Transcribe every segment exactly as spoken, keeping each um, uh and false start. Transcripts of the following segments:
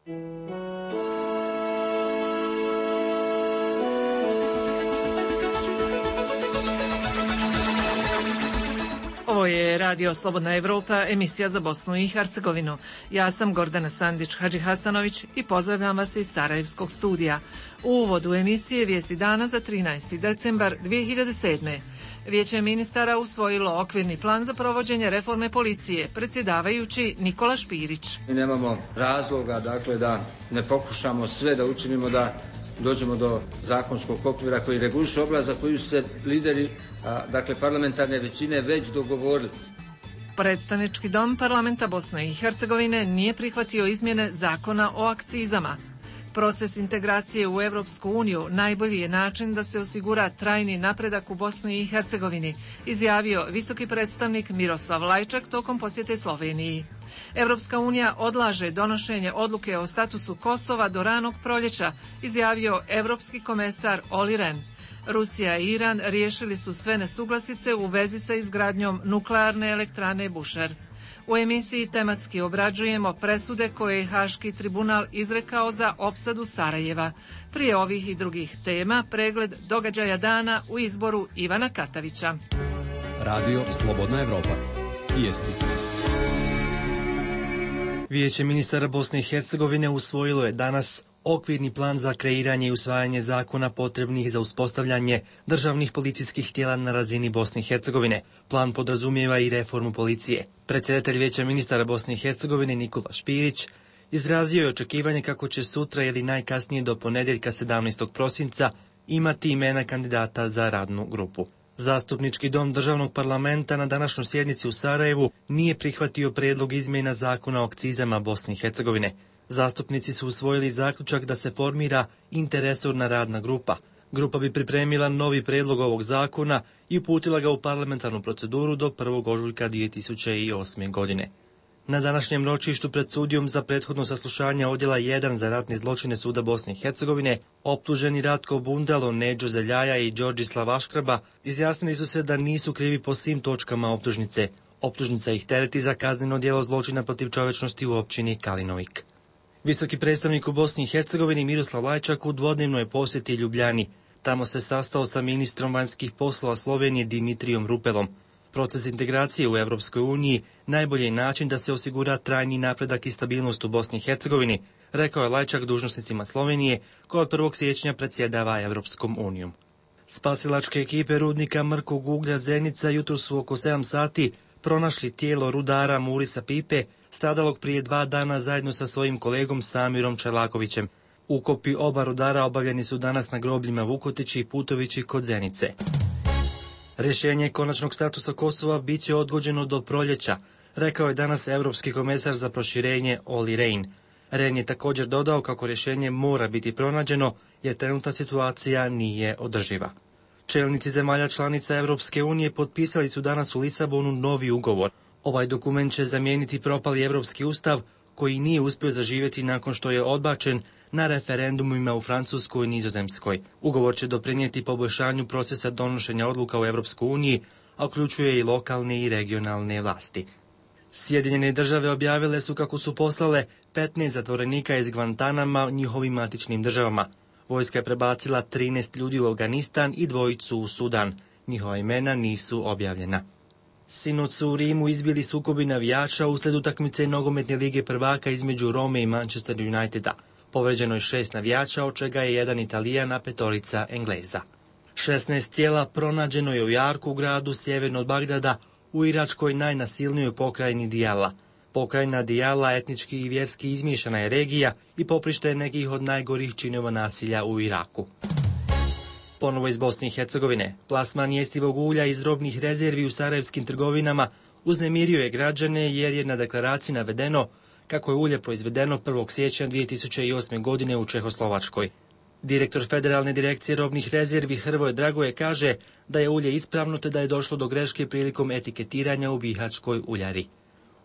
Ovo je Radio Slobodna Evropa, emisija za Bosnu i Hercegovinu. Ja sam Gordana Sandić-Hadži Hasanović i pozdravljam vas iz Sarajevskog studija. U uvodu emisije vijesti dana za trinaesti decembar dvije hiljade sedme. Vijeće ministara usvojilo okvirni plan za provođenje reforme policije, predsjedavajući Nikola Špirić. Mi nemamo razloga, dakle, da ne pokušamo sve da učinimo da dođemo do zakonskog okvira koji reguliše oblast za koju su se lideri, a, dakle, parlamentarne većine već dogovorili. Predstavnički dom parlamenta Bosne i Hercegovine nije prihvatio izmjene zakona o akcizama. Proces integracije u Evropsku uniju najbolji je način da se osigura trajni napredak u Bosni i Hercegovini, izjavio visoki predstavnik Miroslav Lajčak tokom posjete Sloveniji. Evropska unija odlaže donošenje odluke o statusu Kosova do ranog proljeća, izjavio evropski komesar Olli Rehn. Rusija i Iran riješili su sve nesuglasice u vezi sa izgradnjom nuklearne elektrane Bushehr. U emisiji tematski obrađujemo presude koje je Haški tribunal izrekao za opsadu Sarajeva. Prije ovih i drugih tema pregled događaja dana u izboru Ivana Katavića. Radio Slobodna Evropa. Vijesti. Vijeće ministara Bosne i Hercegovine usvojilo je danas okvirni plan za kreiranje i usvajanje zakona potrebnih za uspostavljanje državnih policijskih tijela na razini Bosne i Hercegovine. Plan podrazumijeva i reformu policije. Predsjedatelj Vijeća ministara Bosne i Hercegovine Nikola Špirić izrazio je očekivanje kako će sutra ili najkasnije do ponedjeljka sedamnaestog prosinca imati imena kandidata za radnu grupu. Zastupnički dom državnog parlamenta na današnjoj sjednici u Sarajevu nije prihvatio prijedlog izmjena zakona o akcizama Bosne i Hercegovine. Zastupnici su usvojili zaključak da se formira interresorna radna grupa. Grupa bi pripremila novi prijedlog ovog zakona i uputila ga u parlamentarnu proceduru do prvog ožujka dvije tisuće osme. godine. Na današnjem ročištu pred sudijom za prethodno saslušanje odjela jedan za ratne zločine Suda Bosne i Hercegovine, optuženi Ratko Bundalo, Neđo Zeljaja i Đorđislav Aškraba izjasnili su se da nisu krivi po svim točkama optužnice. Optužnica ih tereti za kazneno djelo zločina protiv čovječnosti u općini Kalinovik. Visoki predstavnik u Bosni i Hercegovini Miroslav Lajčak u dvodnevnoj posjeti Ljubljani. Tamo se sastao sa ministrom vanjskih poslova Slovenije Dimitrijom Rupelom. Proces integracije u Evropskoj uniji najbolji je način da se osigura trajni napredak i stabilnost u Bosni i Hercegovini, rekao je Lajčak dužnosnicima Slovenije koja od prvog siječnja predsjedava Evropskom unijom. Spasilačke ekipe rudnika mrkog uglja Zenica jutro su oko sedam sati pronašli tijelo rudara Murisa Pipe, stradalog prije dva dana zajedno sa svojim kolegom Samirom Čelakovićem. Ukopi oba rudara obavljeni su danas na grobljima Vukotići i Putovići kod Zenice. Rješenje konačnog statusa Kosova bit će odgođeno do proljeća, rekao je danas Europski komesar za proširenje Olli Rehn. Rehn je također dodao kako rješenje mora biti pronađeno jer trenutna situacija nije održiva. Čelnici zemalja članica Europske unije potpisali su danas u Lisabonu novi ugovor. Ovaj dokument će zamijeniti propali Europski ustav koji nije uspio zaživjeti nakon što je odbačen na referendumima u Francuskoj i Nizozemskoj. Ugovor će doprinijeti poboljšanju procesa donošenja odluka u Europskoj uniji, a uključuje i lokalne i regionalne vlasti. Sjedinjene države objavile su kako su poslale petnaest zatvorenika iz Guantanama njihovim matičnim državama. Vojska je prebacila trinaest ljudi u Afganistan i dvojicu u Sudan. Njihova imena nisu objavljena. Sinoć su u Rimu izbili sukobi navijača uslijed utakmice nogometne lige prvaka između Rome i Manchester Uniteda. Povređeno je šest navijača, od čega je jedan Italijan, a petorica Engleza. šesnaest tijela pronađeno je u jarku u gradu sjeverno od Bagdada u iračkoj najnasilnijoj pokrajini Dijala. Pokrajina Dijala etnički i vjerski izmiješana je regija i poprište je nekih od najgorih činova nasilja u Iraku. Ponovo iz Bosne i Hercegovine. Plasman jestivog ulja iz robnih rezervi u sarajevskim trgovinama uznemirio je građane jer je na deklaraciji navedeno kako je ulje proizvedeno prvog siječnja dvije tisuće osme. godine u Čehoslovačkoj. Direktor Federalne direkcije robnih rezervi Hrvoje Dragoje kaže da je ulje ispravno te da je došlo do greške prilikom etiketiranja u bihaćkoj uljari.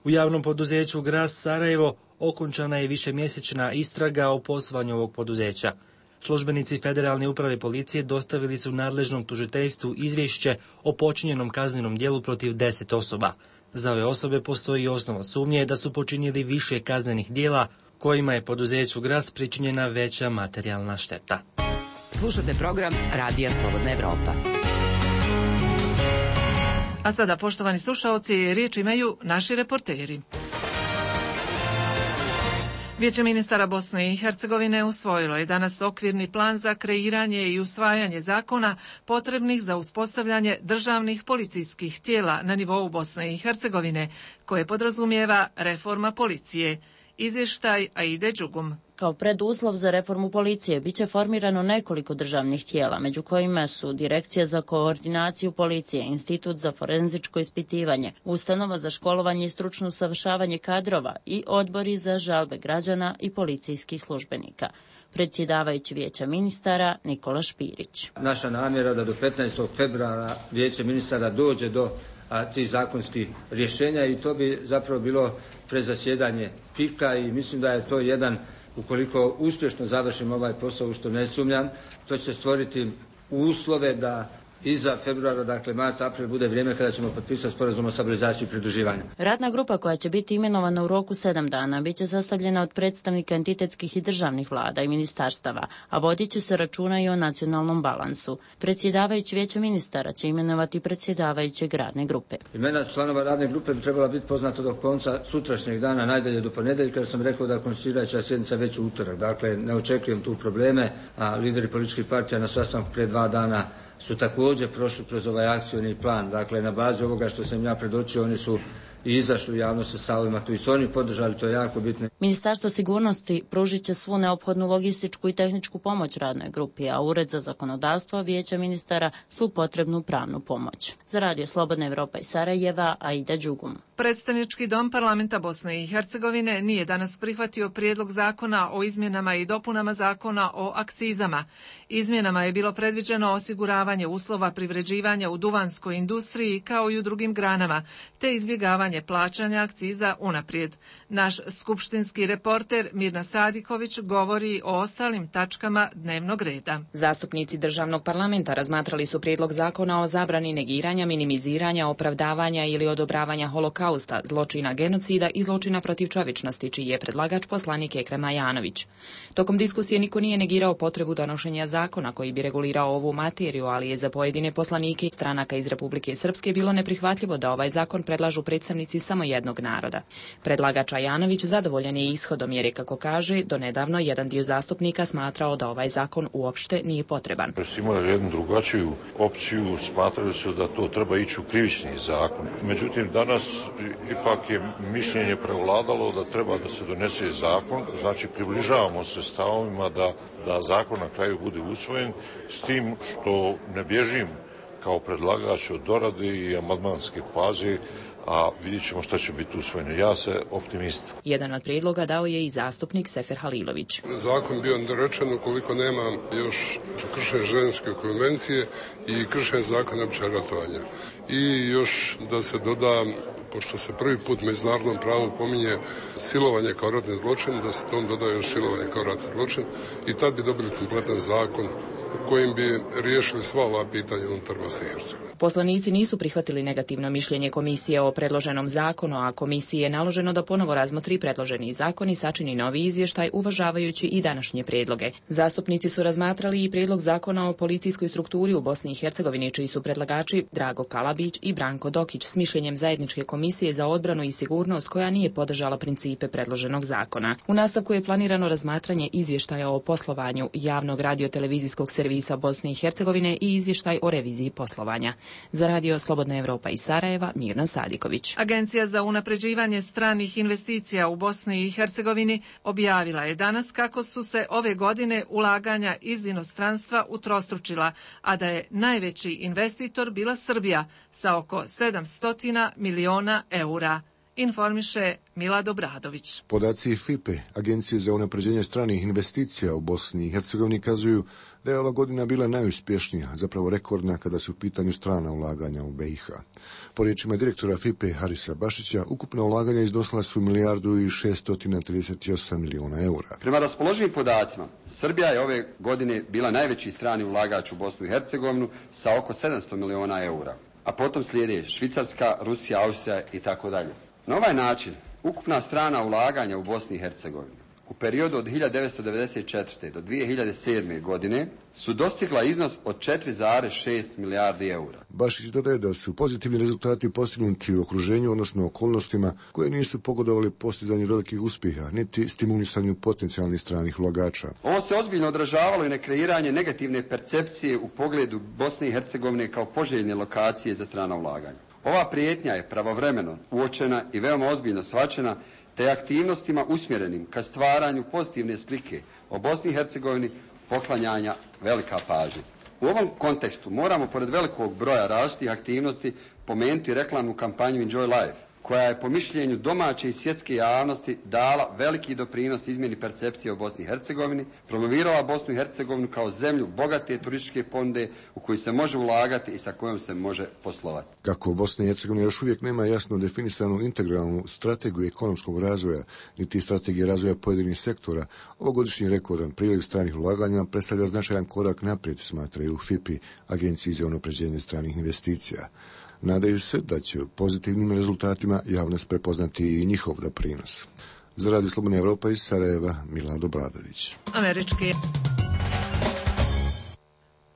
U javnom poduzeću Gras Sarajevo okončana je višemjesečna istraga o poslovanju ovog poduzeća. Službenici Federalne uprave policije dostavili su nadležnom tužiteljstvu izvješće o počinjenom kaznenom djelu protiv deset osoba. Za ove osobe postoji osnova sumnje da su počinjeli više kaznenih djela kojima je poduzeću Gras pričinjena veća materijalna šteta. Slušate program Radija Slobodna Evropa. A sada, poštovani slušaoci, riječ imaju naši reporteri. Vijeće ministara Bosne i Hercegovine usvojilo je danas okvirni plan za kreiranje i usvajanje zakona potrebnih za uspostavljanje državnih policijskih tijela na nivou Bosne i Hercegovine, koje podrazumijeva reforma policije. Izvještaj Aide Đugum. Kao preduslov za reformu policije biće formirano nekoliko državnih tijela, među kojima su Direkcija za koordinaciju policije, Institut za forenzičko ispitivanje, Ustanova za školovanje i stručno usavršavanje kadrova i odbori za žalbe građana i policijskih službenika. Predsjedavajući Vijeća ministara Nikola Špirić. Naša namjera da do petnaestog februara Vijeće ministara dođe do a, tih zakonskih rješenja i to bi zapravo bilo prezasjedanje pika i mislim da je to jedan, ukoliko uspješno završimo ovaj posao, u što ne sumnjam, to će stvoriti uslove da iza februara, dakle mart, april, bude vrijeme kada ćemo potpisati sporazum o stabilizaciji i pridruživanju. Radna grupa koja će biti imenovana u roku sedam dana biće sastavljena od predstavnika entitetskih i državnih vlada i ministarstava, a vodit će se računa i o nacionalnom balansu. Predsjedavajući Vijeća ministara će imenovati predsjedavajućeg radne grupe. Imena članova radne grupe bi trebala biti poznata do konca sutrašnjeg dana, najdalje do ponedjeljka, jer sam rekao da konstituirajuća sjednica već u utorak. Dakle, ne očekujem tu probleme, a lideri političkih partija na sastanku prije dva dana su također prošli kroz ovaj akcioni plan. Dakle, na bazi ovoga što sam ja predočio, oni su i izašli u javnost sa stavovima koji su oni podržali, to je jako bitno. Ministarstvo sigurnosti pružit će svu neophodnu logističku i tehničku pomoć radnoj grupi, a Ured za zakonodavstvo Vijeća ministara svu potrebnu pravnu pomoć. Za Radio Slobodna Evropa iz Sarajeva, Aida Đugum. Predstavnički dom parlamenta Bosne i Hercegovine nije danas prihvatio prijedlog zakona o izmjenama i dopunama zakona o akcizama. Izmjenama je bilo predviđeno osiguravanje uslova privređivanja u duvanskoj industriji kao i u drugim granama, te izbjegavanje plaćanja akciza unaprijed. Naš skupštinski reporter Mirna Sadiković govori o ostalim tačkama dnevnog reda. Zastupnici državnog parlamenta razmatrali su prijedlog zakona o zabrani negiranja, minimiziranja, opravdavanja ili odobravanja holokausta, zločina genocida i zločina protiv čovječnosti, čiji je predlagač poslanik Ekrem Ajanović. Tokom diskusije niko nije negirao potrebu donošenja zakona koji bi regulirao ovu materiju, ali je za pojedine poslanike stranaka iz Republike Srpske bilo neprihvatljivo da ovaj zakon predlažu predstavnici samo jednog naroda. Predlagač Ajanović zadovoljan je ishodom jer je, kako kaže, donedavno jedan dio zastupnika smatrao da ovaj zakon uopšte nije potreban. Imali jednu drugačiju opciju, smatrali su da to treba ići u krivični zakon. Međutim, danas ipak je mišljenje prevladalo da treba da se donese zakon, znači približavamo se stavovima da, da zakon na kraju bude usvojen, s tim što ne bježim kao predlagač od dorade i amandmanske faze, a vidjet ćemo šta će biti usvojeno. Ja se optimist. Jedan od prijedloga dao je i zastupnik Sefer Halilović. Zakon bio nedorečen ukoliko nema još kršenja Ženevske konvencije i kršenja zakona općeg ratovanja. I još da se doda, pošto se prvi put u međunarodnom pravu pominje silovanje kao ratni zločin, da se tom doda još silovanje kao ratni zločin i tad bi dobili kompletan zakon kojim bi riješili sva ova pitanja unutar Bosne i Hercegovine. Poslanici nisu prihvatili negativno mišljenje komisije o predloženom zakonu, a komisiji je naloženo da ponovo razmotri predloženi zakon i sačini novi izvještaj uvažavajući i današnje prijedloge. Zastupnici su razmatrali i prijedlog zakona o policijskoj strukturi u Bosni i Hercegovini, čiji su predlagači Drago Kalabić i Branko Dokić s mišljenjem zajedničke komisije za odbranu i sigurnost koja nije podržala principe predloženog zakona. U nastavku je planirano razmatranje izvještaja o poslovanju javnog radiotelevizijskog servisa Bosne i Hercegovine i izvještaj o reviziji poslovanja. Za Radio Slobodna Evropa iz Sarajeva, Mirna Sadiković. Agencija za unapređivanje stranih investicija u Bosni i Hercegovini objavila je danas kako su se ove godine ulaganja iz inostranstva utrostručila, a da je najveći investitor bila Srbija sa oko sedamsto miliona eura. Informiše Mila Dobradović. Podaci F I P E, Agencije za unapređenje stranih investicija u Bosni i Hercegovini, kazuju da je ova godina bila najuspješnija, zapravo rekordna kada su u pitanju strana ulaganja u B i H. Po riječima direktora F I P E Harisa Bašića, ukupna ulaganja iznosila su milijardu i šesto trideset osam miliona eura. Prema raspoloživim podacima, Srbija je ove godine bila najveći strani ulagač u Bosnu i Hercegovinu sa oko sedamsto miliona eura, a potom slijede Švicarska, Rusija, Austrija i tako dalje. Na ovaj način, ukupna strana ulaganja u Bosni i Hercegovini u periodu od hiljadu devetsto devedeset četvrte. do dvije hiljade sedme. godine su dostigla iznos od četiri zarez šest milijardi eura. Bašić dodaje da su pozitivni rezultati postignuti u okruženju, odnosno okolnostima koje nisu pogodovali postizanju velikih uspjeha, niti stimulisanju potencijalnih stranih ulagača. Ovo se ozbiljno odražavalo i na kreiranje negativne percepcije u pogledu Bosne i Hercegovine kao poželjne lokacije za strana ulaganja. Ova prijetnja je pravovremeno uočena i veoma ozbiljno shvaćena, te aktivnostima usmjerenim ka stvaranju pozitivne slike o Bosni i Hercegovini poklanjanja velika pažnja. U ovom kontekstu moramo, pored velikog broja različitih aktivnosti, pomenuti reklamnu kampanju Enjoy Life, koja je po mišljenju domaće i svjetske javnosti dala veliki doprinos izmjeni percepcije o Bosni i Hercegovini, promovirala Bosnu i Hercegovinu kao zemlju bogate turističke ponude u koju se može ulagati i sa kojom se može poslovati. Kako Bosna i Hercegovina još uvijek nema jasno definisanu integralnu strategiju ekonomskog razvoja, niti strategije razvoja pojedinih sektora, ovogodišnji rekordan priliv stranih ulaganja predstavlja značajan korak naprijed, smatraju F I P I, Agenciji za unapređenje stranih investicija. Nadaju se da će pozitivnim rezultatima javnost prepoznati i njihov doprinos. Za Radio Slobodna Evropa iz Sarajeva, Milado Bradović. Američki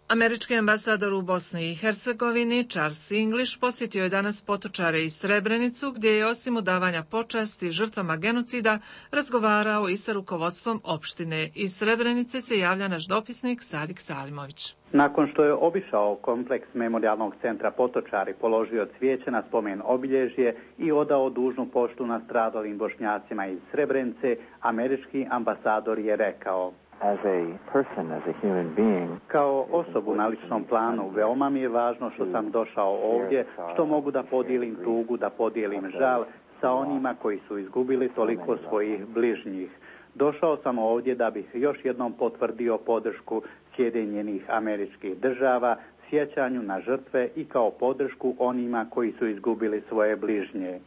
Američki ambasador u Bosni i Hercegovini Charles English posjetio je danas Potočare i Srebrenicu, gdje je osim udavanja počasti žrtvama genocida razgovarao i sa rukovodstvom opštine. Iz Srebrenice se javlja naš dopisnik Sadik Salimović. Nakon što je obišao kompleks Memorijalnog centra Potočari, položio cvijeće na spomen obilježje i odao dužnu poštu nastradalim Bošnjacima iz Srebrenice, američki ambasador je rekao: As a person, as a human being, kao osobu na ličnom planu, veoma mi je važno što sam došao ovdje, što mogu da podijelim tugu, da podijelim žal sa onima koji su izgubili toliko svojih bližnjih. Došao sam ovdje da bih još jednom potvrdio podršku Sjedinjenih Američkih Država, sjećanju na žrtve i kao podršku onima koji su izgubili svoje bližnje.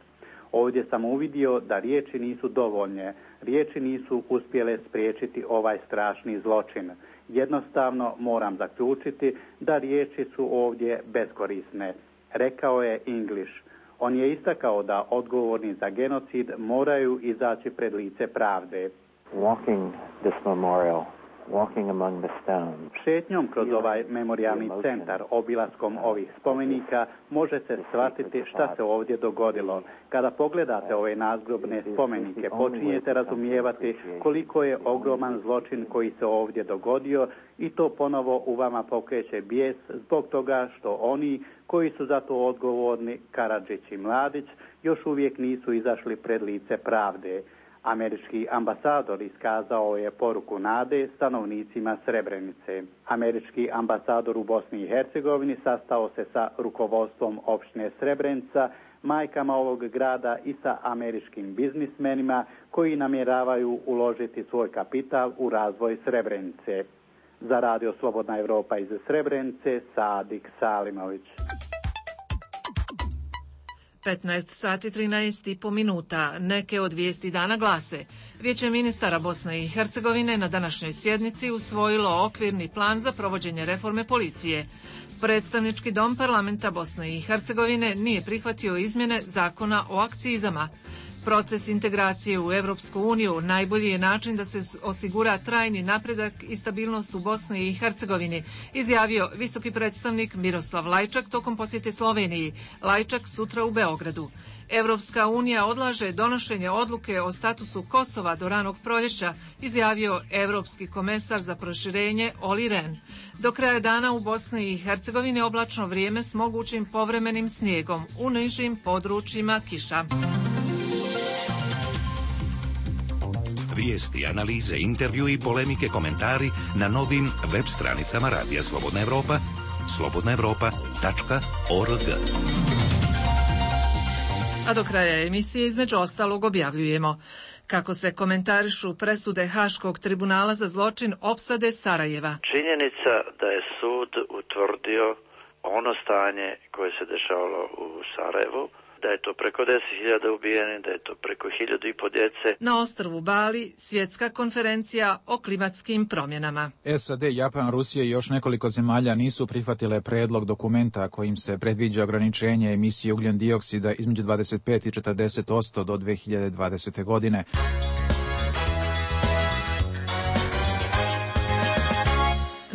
Ovdje sam uvidio da riječi nisu dovoljne, riječi nisu uspjele spriječiti ovaj strašni zločin. Jednostavno moram zaključiti da riječi su ovdje beskorisne, rekao je English. On je istakao da odgovorni za genocid moraju izaći pred lice pravde. Walking this memorial, walking among the stones. Šetnjom kroz ovaj memorijalni centar, obilaskom ovih spomenika, možete shvatiti šta se ovdje dogodilo. Kada pogledate ove nazgrobne spomenike, počinjete razumijevati koliko je ogroman zločin koji se ovdje dogodio i to ponovo u vama pokreće bijes zbog toga što oni koji su za to odgovorni, Karadžić i Mladić, još uvijek nisu izašli pred lice pravde. Američki ambasador iskazao je poruku nade stanovnicima Srebrenice. Američki ambasador u Bosni i Hercegovini sastao se sa rukovodstvom opštine Srebrenica, majkama ovog grada i sa američkim biznismenima koji namjeravaju uložiti svoj kapital u razvoj Srebrenice. Za Radio Slobodna Evropa iz Srebrenice, Sadik Salimović. petnaest sati trinaest i po minuta. Neke od vijesti dana glase: Vijeće ministara Bosne i Hercegovine na današnjoj sjednici usvojilo okvirni plan za provođenje reforme policije. Predstavnički dom parlamenta Bosne i Hercegovine nije prihvatio izmjene zakona o akcizama. Proces integracije u Evropsku uniju najbolji je način da se osigura trajni napredak i stabilnost u Bosni i Hercegovini, izjavio visoki predstavnik Miroslav Lajčak tokom posjete Sloveniji. Lajčak sutra u Beogradu. Evropska unija odlaže donošenje odluke o statusu Kosova do ranog proljeća, izjavio evropski komesar za proširenje Olli Rehn. Do kraja dana u Bosni i Hercegovini oblačno vrijeme s mogućim povremenim snijegom, u nižim područjima kiša. Vijesti, analize, intervju i polemike, komentari na novim web stranicama Radija Slobodna Evropa, slobodna evropa tačka org. A do kraja emisije između ostalog objavljujemo kako se komentarišu presude Haškog tribunala za zločin opsade Sarajeva. Činjenica da je sud utvrdio ono stanje koje se dešavalo u Sarajevu, da je to preko deset hiljada ubijenih, da je to preko hiljadu i po djece. Na ostrvu Bali svjetska konferencija o klimatskim promjenama. S A D, Japan, Rusija i još nekoliko zemalja nisu prihvatile predlog dokumenta kojim se predviđa ograničenje emisije ugljen dioksida između dvadeset pet i četrdeset posto do dve hiljade dvadesete. godine.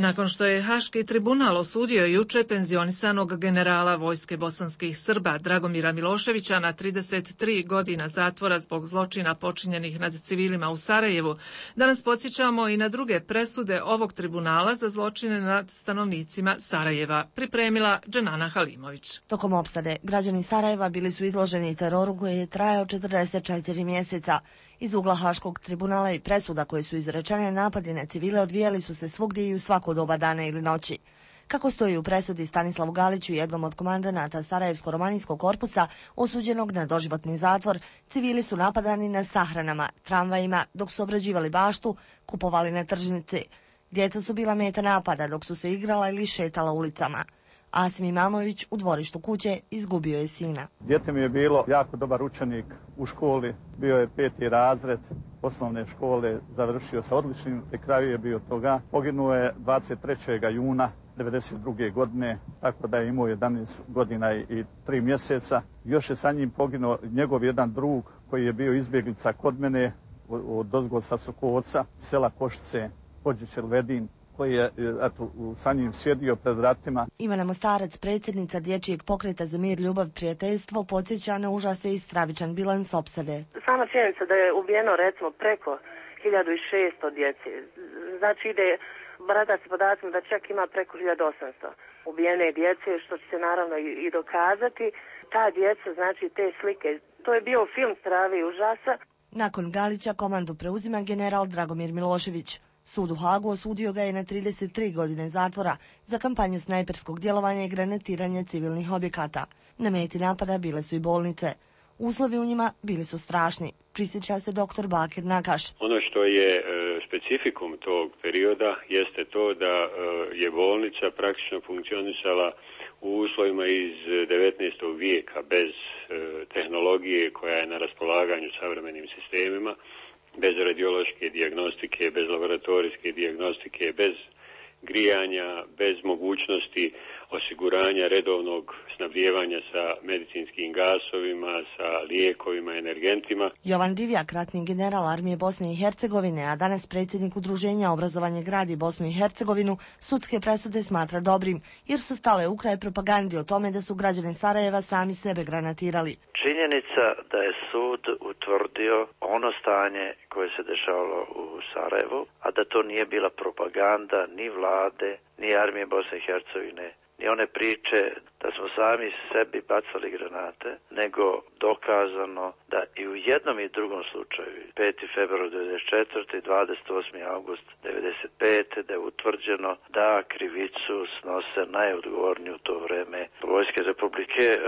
Nakon što je Haški tribunal osudio juče penzionisanog generala vojske bosanskih Srba Dragomira Miloševića na trideset tri godina zatvora zbog zločina počinjenih nad civilima u Sarajevu, danas podsjećamo i na druge presude ovog tribunala za zločine nad stanovnicima Sarajeva, pripremila Dženana Halimović. Tokom opsade, građani Sarajeva bili su izloženi teroru koji je trajao četrdeset četiri mjeseca. Iz ugla Haškog tribunala i presuda koje su izrečene, napadi na civile odvijali su se svugdje i u svako doba dana ili noći. Kako stoji u presudi Stanislavu Galiću, jednom od komandanata Sarajevsko-romanijskog korpusa, osuđenog na doživotni zatvor, civili su napadani na sahranama, tramvajima, dok su obrađivali baštu, kupovali na tržnici. Djeca su bila meta napada dok su se igrala ili šetala ulicama. Asim Imamović u dvorištu kuće izgubio je sina. Dijete mi je bilo jako dobar učenik u školi, bio je peti razred osnovne škole, završio sa odličnim, pri kraju je bio toga. Poginuo je dvadeset trećeg juna devedeset druge godine, tako da je imao jedanaest godina i tri mjeseca. Još je sa njim poginuo njegov jedan drug koji je bio izbjeglica kod mene od ozgo sa Sokovca, sela Košice, Hođić Elvedin, koji je eto, sa njim sjedio pred vratima. Ivana Mostarac, predsjednica Dječjeg pokreta za mir, ljubav, prijateljstvo, podsjeća na užase i stravičan bilans opsade. Sama činjenica da je ubijeno recimo preko hiljadu šesto djece, znači ide, barata se podacima da čak ima preko hiljadu osamsto ubijene djece, što će se naravno i, i dokazati. Ta djeca, znači te slike, to je bio film strave i užasa. Nakon Galića komandu preuzima general Dragomir Milošević. Sud u Hagu osudio ga je na trideset tri godine zatvora za kampanju snajperskog djelovanja i granatiranja civilnih objekata. Na meti napada bile su i bolnice. Uslovi u njima bili su strašni, prisjeća se doktor Bakir Nakaš. Ono što je e, specifikum tog perioda jeste to da e, je bolnica praktično funkcionisala u uslovima iz devetnaestog vijeka bez e, tehnologije koja je na raspolaganju savremenim sistemima, bez radiološke dijagnostike, bez laboratorijske dijagnostike, bez grijanja, bez mogućnosti osiguranja redovnog snabdijevanja sa medicinskim gasovima, sa lijekovima, energentima. Jovan Divjak, ratni general armije Bosne i Hercegovine, a danas predsjednik Udruženja Obrazovanje gradi Bosnu i Hercegovinu, sudske presude smatra dobrim, jer su stale u kraj propagandi o tome da su građani Sarajeva sami sebe granatirali. Činjenica da je sud utvrdio ono stanje koje se dešavalo u Sarajevu, a da to nije bila propaganda ni vlade, ni armije Bosne i Hercegovine, ni one priče da smo sami sebi bacali granate, nego dokazano da i u jednom i drugom slučaju, peti februar devedeset četvrte i dvadeset osmi avgust devedeset pete da je utvrđeno da krivicu snose najodgovorniji u to vreme vojske Republike e,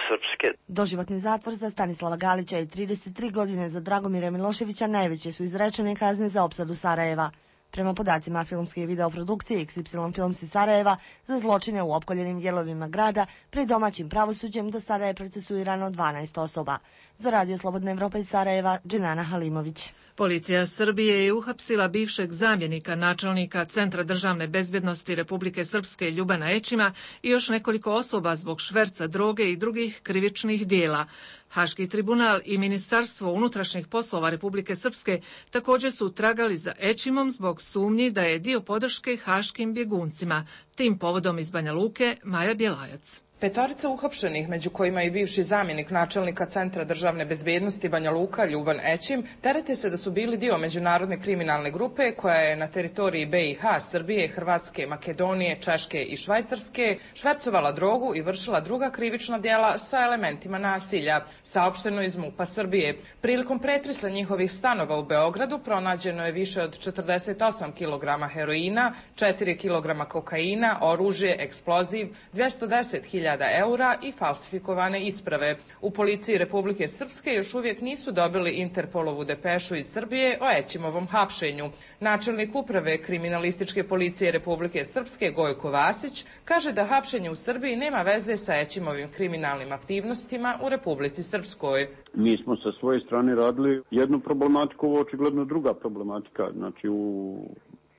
Srpske. Doživotni zatvor za Stanislava Galića i trideset tri godine za Dragomira Miloševića najveće su izrečene kazne za opsadu Sarajeva. Prema podacima filmske i videoprodukcije X Y Films iz Sarajeva, za zločine u opkoljenim dijelovima grada pred domaćim pravosuđem do sada je procesuirano dvanaest osoba. Za Radio Slobodna Evropa iz Sarajeva, Dženana Halimović. Policija Srbije je uhapsila bivšeg zamjenika načelnika Centra državne bezbjednosti Republike Srpske Ljubana Ećima i još nekoliko osoba zbog šverca droge i drugih krivičnih dijela. Haški tribunal i Ministarstvo unutrašnjih poslova Republike Srpske također su tragali za Ećimom zbog sumnji da je dio podrške haškim bjeguncima. Tim povodom iz Banja Luke, Maja Bjelajac. Petorica uhapšenih, među kojima i bivši zamjenik načelnika Centra državne bezbjednosti Banja Luka Ljuban Ećim, terete se da su bili dio međunarodne kriminalne grupe koja je na teritoriji B i H, Srbije, Hrvatske, Makedonije, Češke i Švajcarske švercovala drogu i vršila druga krivična djela sa elementima nasilja, saopšteno iz MUP-a Srbije. Prilikom pretresa njihovih stanova u Beogradu pronađeno je više od četrdeset osam kilograma heroina, četiri kilograma kokaina, oružje, eksploziv, dvjesto deset hiljada eura i falsifikovane isprave. U policiji Republike Srpske još uvijek nisu dobili Interpolovu depešu iz Srbije o Ećimovom hapšenju. Načelnik uprave kriminalističke policije Republike Srpske Gojko Vasić kaže da hapšenje u Srbiji nema veze sa Ećimovim kriminalnim aktivnostima u Republici Srpskoj. Mi smo sa svoje strane radili jednu problematiku, ovo očigledno druga problematika. Znači, u...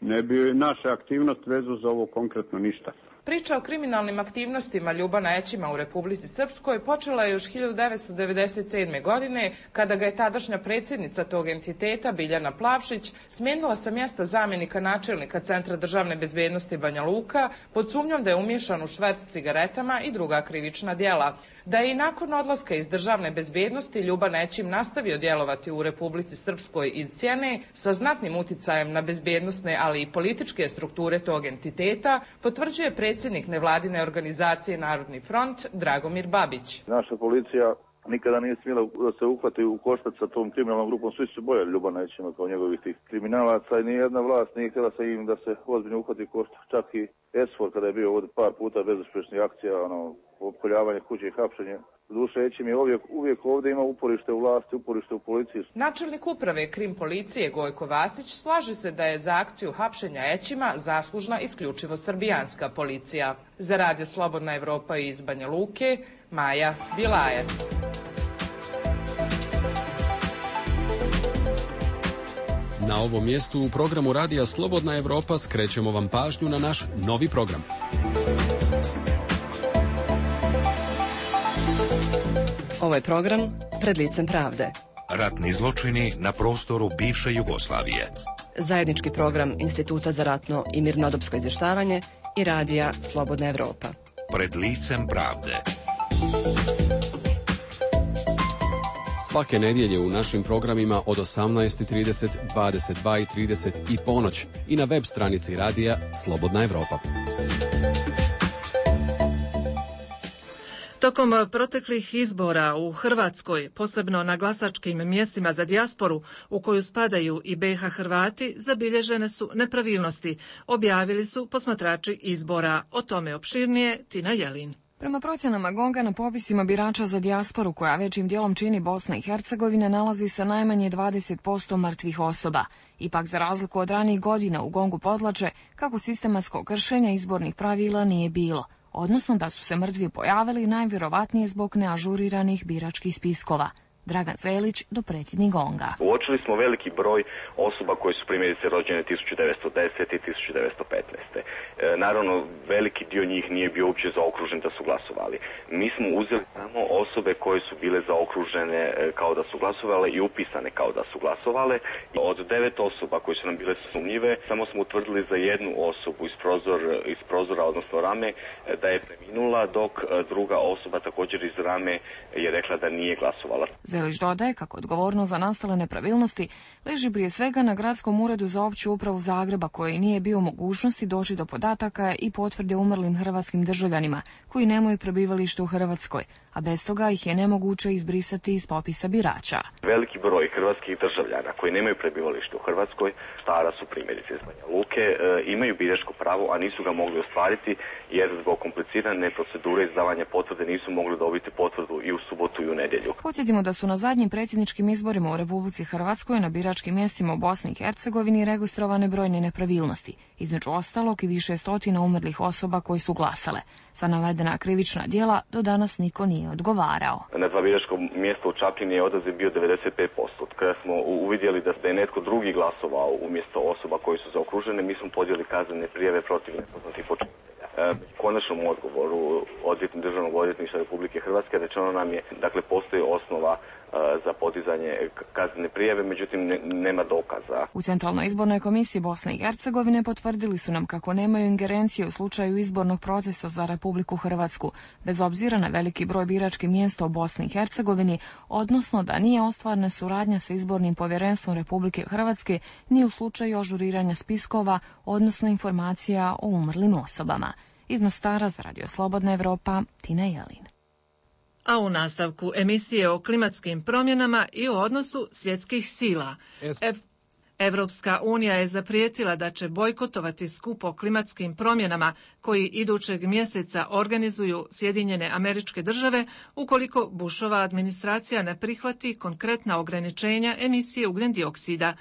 ne bi naša aktivnost vezao za ovo konkretno ništa. Priča o kriminalnim aktivnostima Ljubana Ećima u Republici Srpskoj počela je još hiljadu devetsto devedeset sedme. godine, kada ga je tadašnja predsjednica tog entiteta, Biljana Plavšić, smijenila sa mjesta zamjenika načelnika Centra državne bezbednosti Banja Luka pod sumnjom da je umiješan u šverc cigaretama i druga krivična djela. Da je i nakon odlaska iz državne bezbednosti Ljuban Ećim nastavio djelovati u Republici Srpskoj iz Sjene sa znatnim uticajem na bezbednosne, ali i političke strukture tog entiteta, potvrđuje predsjednik nevladine organizacije Narodni front Dragomir Babić. Naša policija nikada nije smjela da se uhvati u koštac sa tom kriminalnom grupom. Svi su bojali Ljubana Ećima kao njegovih tih kriminalaca i nijedna vlast nije htjela sa im da se ozbiljno uhvati u koštac. Čak i Esfor kada je bio ovdje par puta bezuspješnih akcija, ono, opkoljavanje kuće i hapšenje. Duše Ećim je uvijek, uvijek ovdje ima uporište u vlasti, uporište u policiji. Načelnik uprave Krim policije Gojko Vasić slaže se da je za akciju hapšenja Ećima zaslužna isključivo srbijanska policija. Za Radio Slobodna Evropa iz Banja Luke, Maja Bilajac. Na ovom mjestu u programu Radija Slobodna Evropa skrećemo vam pažnju na naš novi program. Ovo je program Pred licem pravde. Ratni zločini na prostoru bivše Jugoslavije. Zajednički program Instituta za ratno i mirnodopsko izvještavanje i Radija Slobodna Evropa. Pred licem pravde. Svake nedjelje u našim programima od osamnaest i trideset, dvadeset dva i trideset i ponoć i na web stranici Radija Slobodna Evropa. Tokom proteklih izbora u Hrvatskoj, posebno na glasačkim mjestima za dijasporu, u koju spadaju i be i ha Hrvati, zabilježene su nepravilnosti, objavili su posmatrači izbora. O tome opširnije Tina Jelin. Prema procjenama Gonga, na popisima birača za dijasporu, koja većim dijelom čini Bosna i Hercegovina, nalazi se najmanje dvadeset posto mrtvih osoba. Ipak, za razliku od ranijih godina, u Gongu podlače kako sistematskog kršenja izbornih pravila nije bilo, odnosno da su se mrtvi pojavili najvjerovatnije zbog neažuriranih biračkih spiskova. Dragan Zelić, dopredsjednik Gonga. Uočili smo veliki broj osoba koji su primjerice rođene tisuću devetsto desete i tisuću devetsto petnaeste. E, naravno, veliki dio njih nije bio uopće zaokružen da su glasovali. Mi smo uzeli samo osobe koje su bile zaokružene kao da su glasovale i upisane kao da su glasovale. Od devet osoba koje su nam bile sumnjive, samo smo utvrdili za jednu osobu iz, prozor, iz prozora, odnosno rame, da je preminula, dok druga osoba također iz rame je rekla da nije glasovala. Zelić dodaje kako odgovornost za nastale nepravilnosti leži prije svega na Gradskom uredu za opću upravu Zagreba, koji nije bio u mogućnosti doći do podataka i potvrde umrlim hrvatskim državljanima koji nemaju prebivalište u Hrvatskoj, a bez toga ih je nemoguće izbrisati iz popisa birača. Veliki broj hrvatskih državljana koji nemaju prebivalište u Hrvatskoj, stara su primjerice iz Banja Luke, e, imaju biračko pravo, a nisu ga mogli ostvariti jer zbog komplicirane procedure izdavanja potvrde nisu mogli dobiti potvrdu i u subotu i u nedjelju. Podsjetimo da su na zadnjim predsjedničkim izborima u Republici Hrvatskoj na biračkim mjestima u Bosni i Hercegovini registrovane brojne nepravilnosti, između ostalog i više stotina umrlih osoba koji su glasale. Za navedena krivična djela do danas niko nije odgovarao. Na dva biračka mjesta u Čapljini je odaziv bio devedeset pet posto. Kada smo uvidjeli da je netko drugi glasovao umjesto osoba koji su zaokružene, mi smo podijeli kaznene prijave protiv nepoznatih počinitelja. U konačnom odgovoru odvjetnik Državnog odvjetništva Republike Hrvatske rečeno nam je, dakle, postoji osnova za podizanje kaznene prijave, međutim ne, nema dokaza. U Centralnoj izbornoj komisiji Bosne i Hercegovine potvrdili su nam kako nemaju ingerencije u slučaju izbornog procesa za Republiku Hrvatsku, bez obzira na veliki broj biračkih mjesta u Bosni i Hercegovini, odnosno da nije ostvarena suradnja sa izbornim povjerenstvom Republike Hrvatske ni u slučaju ažuriranja spiskova, odnosno informacija o umrlim osobama. Iz Mostara za Radio Slobodna Evropa, Tina Jelin. A u nastavku emisije o klimatskim promjenama i o odnosu svjetskih sila. Ev- Evropska unija je zaprijetila da će bojkotovati skup o klimatskim promjenama koji idućeg mjeseca organizuju Sjedinjene Američke Države ukoliko Bushova administracija ne prihvati konkretna ograničenja emisije ugljen dioksida.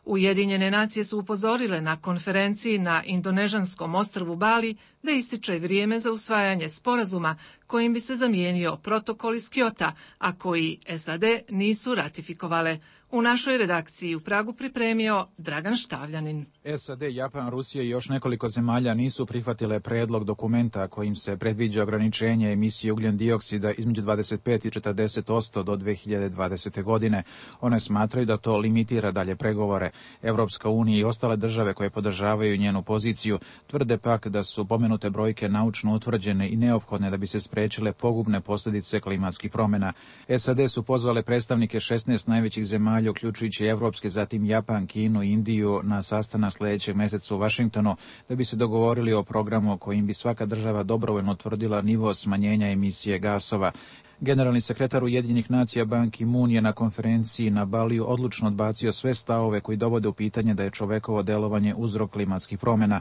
Ujedinjene nacije su upozorile na konferenciji na indonežanskom ostrvu Bali da ističe vrijeme za usvajanje sporazuma kojim bi se zamijenio protokol iz Kyota, a koji es a de nisu ratifikovale. U našoj redakciji u Pragu pripremio Dragan Štavljanin. S A D, Japan, Rusija i još nekoliko zemalja nisu prihvatile predlog dokumenta kojim se predviđa ograničenje emisije ugljen dioksida između dvadeset pet i četrdeset posto do dve hiljade dvadesete. godine. One smatraju da to limitira dalje pregovore. Evropska unija i ostale države koje podržavaju njenu poziciju tvrde pak da su pomenute brojke naučno utvrđene i neophodne da bi se sprečile pogubne posljedice klimatskih promjena. S A D su pozvale predstavnike šesnaest najvećih zemalja, uključujući evropske, zatim Japan, Kinu i Indiju, na sastanak sljedećeg mjeseca u Vašingtonu, da bi se dogovorili o programu kojim bi svaka država dobrovoljno utvrdila nivo smanjenja emisije gasova. Generalni sekretar Ujedinjenih nacija Ban Ki-moon je na konferenciji na Baliju odlučno odbacio sve stavove koji dovode u pitanje da je čovekovo delovanje uzrok klimatskih promjena.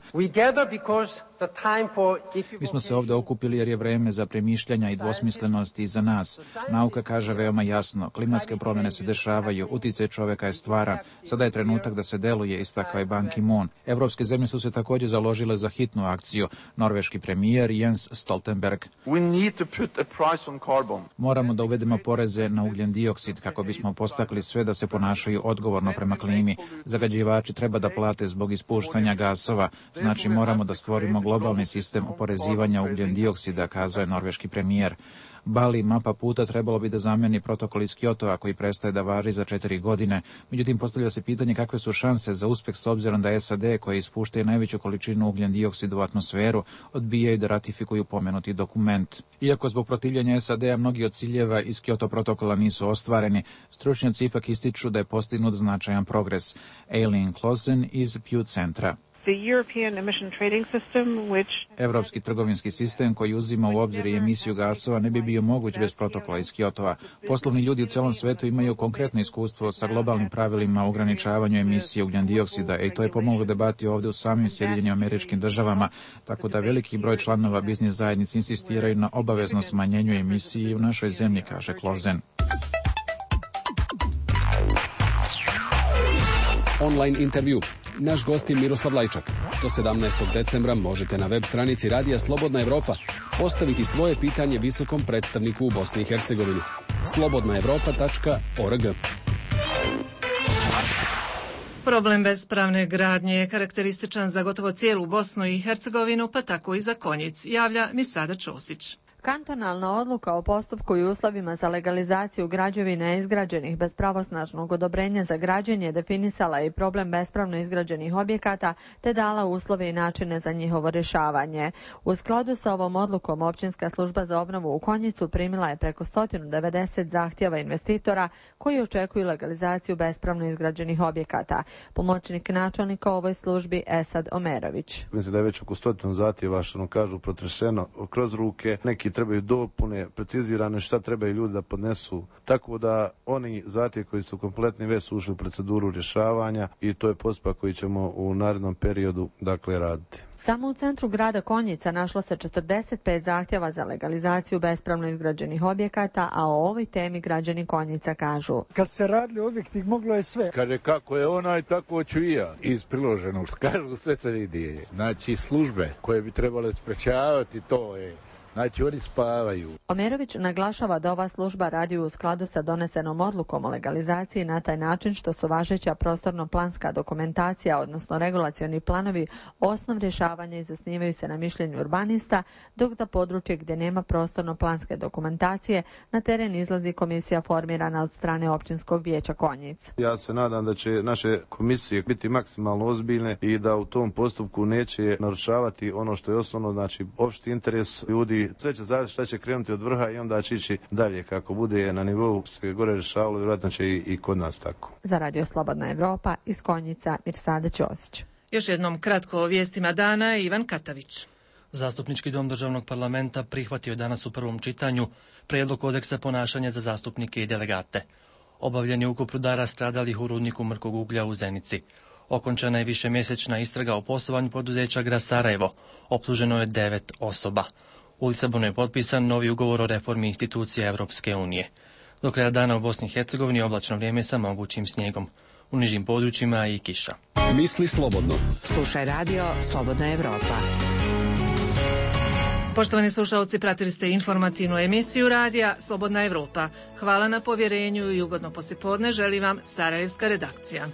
Mi smo se ovdje okupili jer je vreme za premišljanja i dvosmislenosti iza nas. Nauka kaže veoma jasno, klimatske promjene se dešavaju, utjecaj čoveka je stvaran. Sada je trenutak da se deluje, istakao je Ban Ki-moon. Evropske zemlje su se također založile za hitnu akciju. Norveški premijer Jens Stoltenberg. Moramo da uvedemo poreze na ugljen dioksid kako bismo postakli sve da se ponašaju odgovorno prema klimi. Zagađivači treba da plate zbog ispuštanja gasova. Znači moramo da stvorimo globalni sistem oporezivanja ugljen dioksida, kazao je norveški premijer. Bali, mapa puta, trebalo bi da zamijeni protokol iz Kyotova koji prestaje da važi za četiri godine. Međutim, postavlja se pitanje kakve su šanse za uspjeh s obzirom da S A D, koje ispuštaju najveću količinu ugljen dioksida u atmosferu, odbijaju da ratifikuju pomenuti dokument. Iako zbog protivljenja S A D-a mnogi od ciljeva iz Kyoto protokola nisu ostvareni, stručnjaci ipak ističu da je postignut značajan progres. Eileen Clausen iz Pew centra. Evropski trgovinski sistem koji uzima u obzir i emisiju gasova ne bi bio moguć bez protokola iz Kyotova. Poslovni ljudi u celom svetu imaju konkretno iskustvo sa globalnim pravilima o ograničavanju emisije ugljen dioksida i to je pomoglo debati ovdje u samim Sjedinjenim Američkim Državama, tako da veliki broj članova biznis zajednice insistiraju na obavezno smanjenju emisije u našoj zemlji, kaže Klozen. Online intervju. Naš gost je Miroslav Lajčak. Do sedamnaestog decembra možete na web stranici Radija Slobodna Evropa postaviti svoje pitanje visokom predstavniku u Bosni i Hercegovini. slobodna evropa tačka org. Problem bespravne gradnje je karakterističan za gotovo cijelu Bosnu i Hercegovinu, pa tako i za Konjic, javlja Mirsada Ćosić. Kantonalna odluka o postupku i uslovima za legalizaciju građevina izgrađenih bez pravosnažnog odobrenja za građenje definisala i problem bespravno izgrađenih objekata te dala uslove i načine za njihovo rješavanje. U skladu sa ovom odlukom Općinska služba za obnovu u Konjicu primila je preko sto devedeset zahtjeva investitora koji očekuju legalizaciju bespravno izgrađenih objekata. Pomoćnik načelnika u ovoj službi Esad Omerović. Mislim da je već oko stotinu zahtjeva, što nam kažu, protrešeno kroz ruke. Neki trebaju dopune, precizirane šta trebaju ljudi da podnesu. Tako da oni zahtjevi koji su kompletni već su ušli u proceduru rješavanja i to je postupak koji ćemo u narednom periodu dakle raditi. Samo u centru grada Konjica našlo se četrdeset pet zahtjeva za legalizaciju bespravno izgrađenih objekata, a o ovoj temi građani Konjica kažu. Kad se radili objekti, moglo je sve. Kaže, kako je onaj, tako ću i ja. Iz priloženog, kažu, sve se vidi. Znači, službe koje bi trebale sprečavati to je... Znači, oni spavaju. Omerović naglašava da ova služba radi u skladu sa donesenom odlukom o legalizaciji na taj način što su važeća prostorno-planska dokumentacija, odnosno regulacioni planovi, osnov rješavanja i zasnivaju se na mišljenju urbanista, dok za područje gdje nema prostorno-planske dokumentacije na teren izlazi komisija formirana od strane Općinskog vijeća Konjic. Ja se nadam da će naše komisije biti maksimalno ozbiljne i da u tom postupku neće narušavati ono što je osnovno, znači opšti interes ljudi. Sve će zavisiti šta će krenuti od vrha i onda će ići dalje. Kako bude na nivou se gore rješavalo, vjerojatno će i, i kod nas tako. Za Radio Slobodna Evropa iz Konjica, Mirsada Ćosić. Još jednom kratko o vijestima dana, Ivan Katavić. Zastupnički dom državnog parlamenta prihvatio je danas u prvom čitanju prijedlog kodeksa ponašanja za zastupnike i delegate. Obavljen je ukop rudara stradalih u rudniku mrkog uglja u Zenici. Okončana je višemjesečna istraga o poslovanju poduzeća Gras Sarajevo. Optuženo je devet osoba. U Lisabonu je potpisan novi ugovor o reformi institucija Evropske unije. Do kraja dana u Bosni i Hercegovini oblačno vrijeme sa mogućim snijegom. U nižim područjima i kiša. Misli slobodno. Slušaj radio Slobodna Evropa. Poštovani slušalci, pratili ste informativnu emisiju radija Slobodna Evropa. Hvala na povjerenju i ugodno poslijepodne želi vam Sarajevska redakcija.